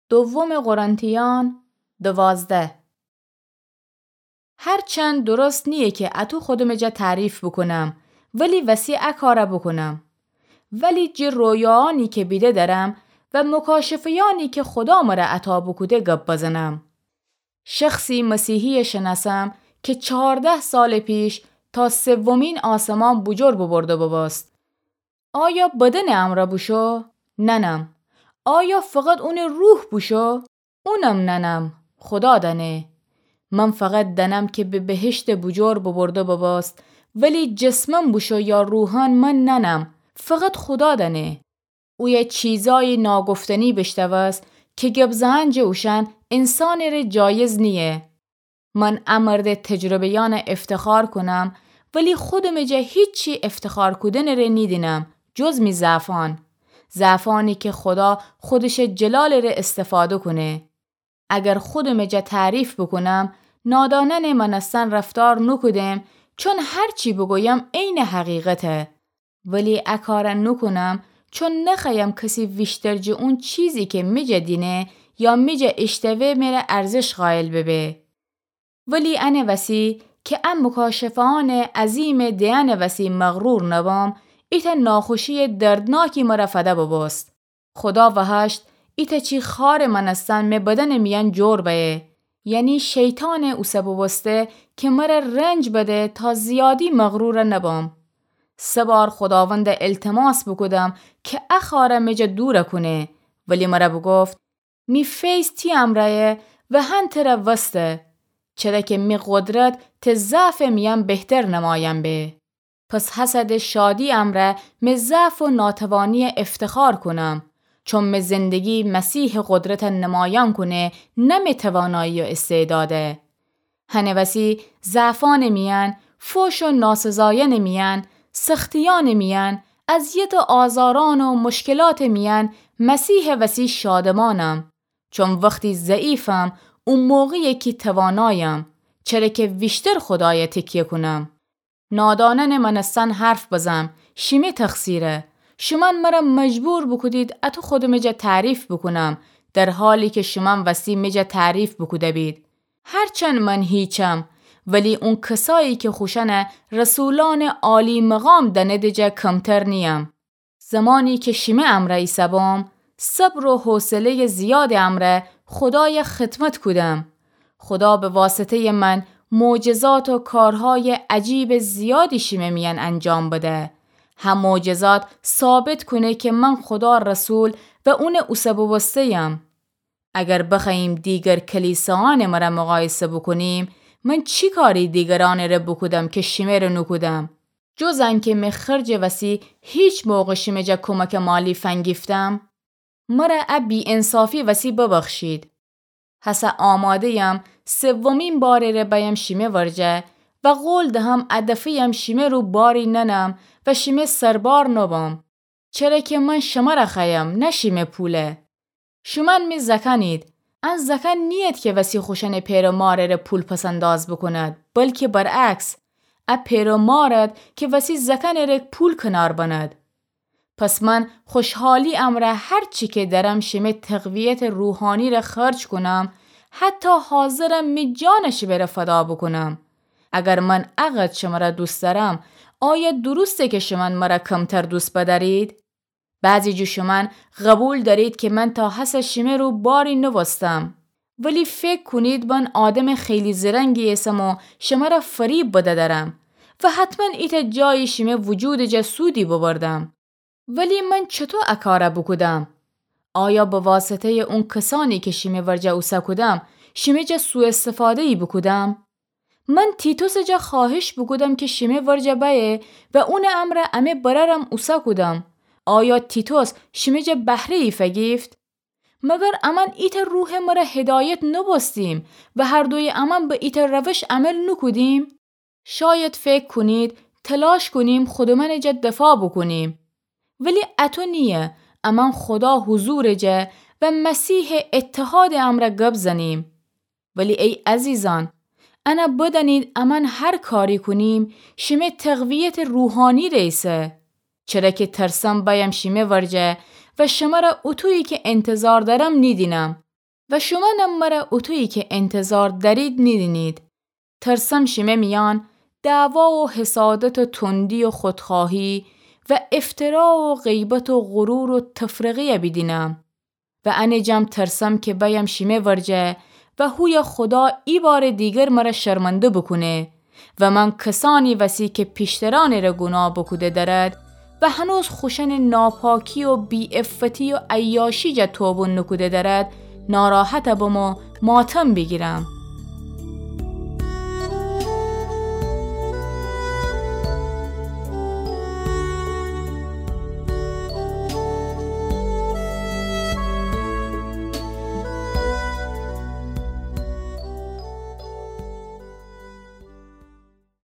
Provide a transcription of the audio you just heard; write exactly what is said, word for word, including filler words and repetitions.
دوم قرنتیان دوازده. هرچند درست نییه کی اتو خودمٚ جا تعریف بوکونم، ولی وسی ا کارَ بوکونم. ولی جٚه رویاانی کی بیده درم و مکاشفه‌یأنی کی خودا مرَ عطا بوکوده گب بزنم. شخصی مسیحیَ شنأسم کی چهارده سالٚ پیش تا سومین آسمان بوجور ببرده ببوست. آیا بدنٚ امرأ بوشو؟ ننم. آیا فقط اونٚ روح بوشو؟ اونم ننم. خودا دأنه. من فقط دأنم کی به بهشتٚ بوجور ببرده ببوست، ولی جسماً بوشو یا روحاً من ننم. فقط خودا دأنه. اویه چیزأیی ناگفتنی بیشتوست کی گب زئن جٚه اوشأن انسانٚ ره جایز نییه. من ا مردٚ تجربه‌یأنَ افتخار کونم، ولی خودمٚ جا هیچی افتخار کودنٚ ره نیدینم، جز می ضعفأن. ضعفأنی کی خودا خودشٚ جلالٚ ره استفاده کونه. اگر خودمٚ جا تعریف بوکونم، نادانأنٚ مأنستن رفتار نوکودم، چون هرچی بوگویم عینٚ حقیقته. ولی ا کارَ نوکونم، چون نخوأیم کسی ویشتر جٚه اون چیزی کی می جا دینه یا می جا ایشتوه مره ارزش قائل ببه. ولی انٚ وسی کی ا مکاشفه‌أنٚ عظیمٚ دئنٚ وسی مغرور نبم، ایتأ ناخوشیٚ دردناکی مرَ فده ببوست. خودا وهشت ایتأ چی خارٚ مأنستن می بدنٚ میأن جور بأیه، یعنی شیطانٚ اوسه بوبوسته کی مرَ رنج بده تا زیادی مغرور نبم. سه بار خوداوندَ التماس بوکودم کی ا خارَ می جا دورَ کونه، ولی مرَ بوگفت: می فیض تی امرأیه و هن ترَ وسته، چره کی می قدرت تی ضعفٚ میأن بهتر نمایان به. پس هسه ده شادی امرأ می ضعف و ناتوانیَ افتخار کونم، چون می زندگی مسیحٚ قدرتَ نمایان کونه، نه می توانایی و استعداده. هنٚ وسی ضعفأنٚ میأن، فوش و ناسزایأنٚ میأن، سختیأنٚ میأن، اذیت و آزارأن و مشکلاتٚ میأن، مسیحٚ وسی شادمانم. چون وختی ضعیفم، او موقعیه کی توانایم، چره کی ویشتر خودایَ تکیه کونم. نادانأنٚ مأنستن حرف بزم، شیمی تقصیره. شومأن مرَ مجبور بوکودید اتو خودمٚ جا تعریف بوکونم، در حالی کی شومأن وستی می جا تعریف بوکوده بید. هرچند من هیچم، ولی اون کسایی کی خوشأنَ رسولأنٚ عالی مقام دأنیدٚ جا کمتر نییم. زمانی کی شیمی امرأ ایسه‌بوم، صبر و حوصله‌یٚ زیادٚ امرأ خودایَ خدمت کودم. خودا به واسطه‌یٚ من معجزات و کارهایٚ عجیبٚ زیادی شیمه میأن انجام بده. هه معجزات ثابت کونه کی من خودا رسول و اونٚ اوسه بوبوسته‌یم. اگر بخوأییم دیگر کلیساأنٚ مرَ مقایسه بوکونیم، من چی کاری دیگرأنٚ ره بوکودم کی شیمه ره نوکودم؟ جز انکی می خرجٚ وسی هیچ موقع شیمه جا کمکٚ مالی فنگیفتم؟ مرَ ا بی‌انصافی وسی ببخشید. هسه آماده‌یم سومین بارٚ ره بأیم شیمه ورجه و قول دهم ا دفه‌یم شیمه رو باری ننم و شیمه سربار نبم. چره کی من شمرَ خوأیم، نه شیمه پوله. شومأن می زأکأنید. ان زأکأن نیید کی وسی خوشأنٚ پئر و مارٚ ره پول پس‌انداز بوکوند، بلکی برعکس، ا پئر و مارد کی وسی زأکأنٚ ره پول کنار بند. پس من خوشحالی امرأ هرچی کی درم شیمه تقویتٚ روحانی ره خرج کونم، حتی حاضرم می جانَ شیمه ره فدا بوکونم. اگر من اقدر شمرَ دوست دأرم، آیا درسته کی شومأن مرَ کمتر دوست بدأرید؟ بعضی جٚه شومأن قبول دأرید کی من تا هسه شیمه رو باری نوستم. ولی فکر کونید من آدمٚ خیلی زرنگی ایسم و شمرَ فریب بدأ درم و حتماً ایتأ جایی شیمه وجودٚ جا سودی ببردم. ولی من چطو ا کارَ بوکودم؟ آیا به واسطه‌یٚ اون کسأنی کی شیمه ورجه اوسه کودم، شیمه جا سوءاستفاده‌یی بوکودم؟ من تیتوسٚ جا خوأهش بوکودم کی شیمه ورجه بأیه و اونٚ امرأ امه برأرم اوسه کودم. آیا تیتوس شیمه جا بهره‌یی فگیفت؟ مگر امأن ایتأ روحٚ مرَ هدایت نوبوستیم و هر دویٚ امأن به ایتأ روش عمل نوکودیم؟ شاید فکر کونید تلاش کونیم خودمأنٚ جا دفاع بوکونیم. ولی اطو نییه، امأن خودا حضورٚ جا و مسیحٚ اتحادٚ امرأ گب زنیم. ولی ای عزیزأن، انَ بدأنید امأن هر کاری کونیم، شیمه تقویتٚ روحانی ره ایسه. چره کی ترسم بأیم شیمه ورجه و شمرَ اطویی کی انتظار دأرم نیدینم. و شومأنم مرَ اوطویی کی انتظار دأرید نیدینید. ترسم شیمه میأن دعوا و حسادت و تندی و خودخواهی و افترا و غیبت و غرور و تفرقه‌یَ بیدینم. و انه جم ترسم کی بأیم شیمه ورجه و هویه خودا ایبارٚ دیگر مرَ شرمنده بوکونه و من کسأنی وسی کی پیشترأنٚ ره گوناه بوکوده دأرد و هنوز خوشأنٚ ناپاکی و بی‌عفتی و عیاشی جا توبون نوکوده دأرد، ناراحت بم و ماتم بیگیرم.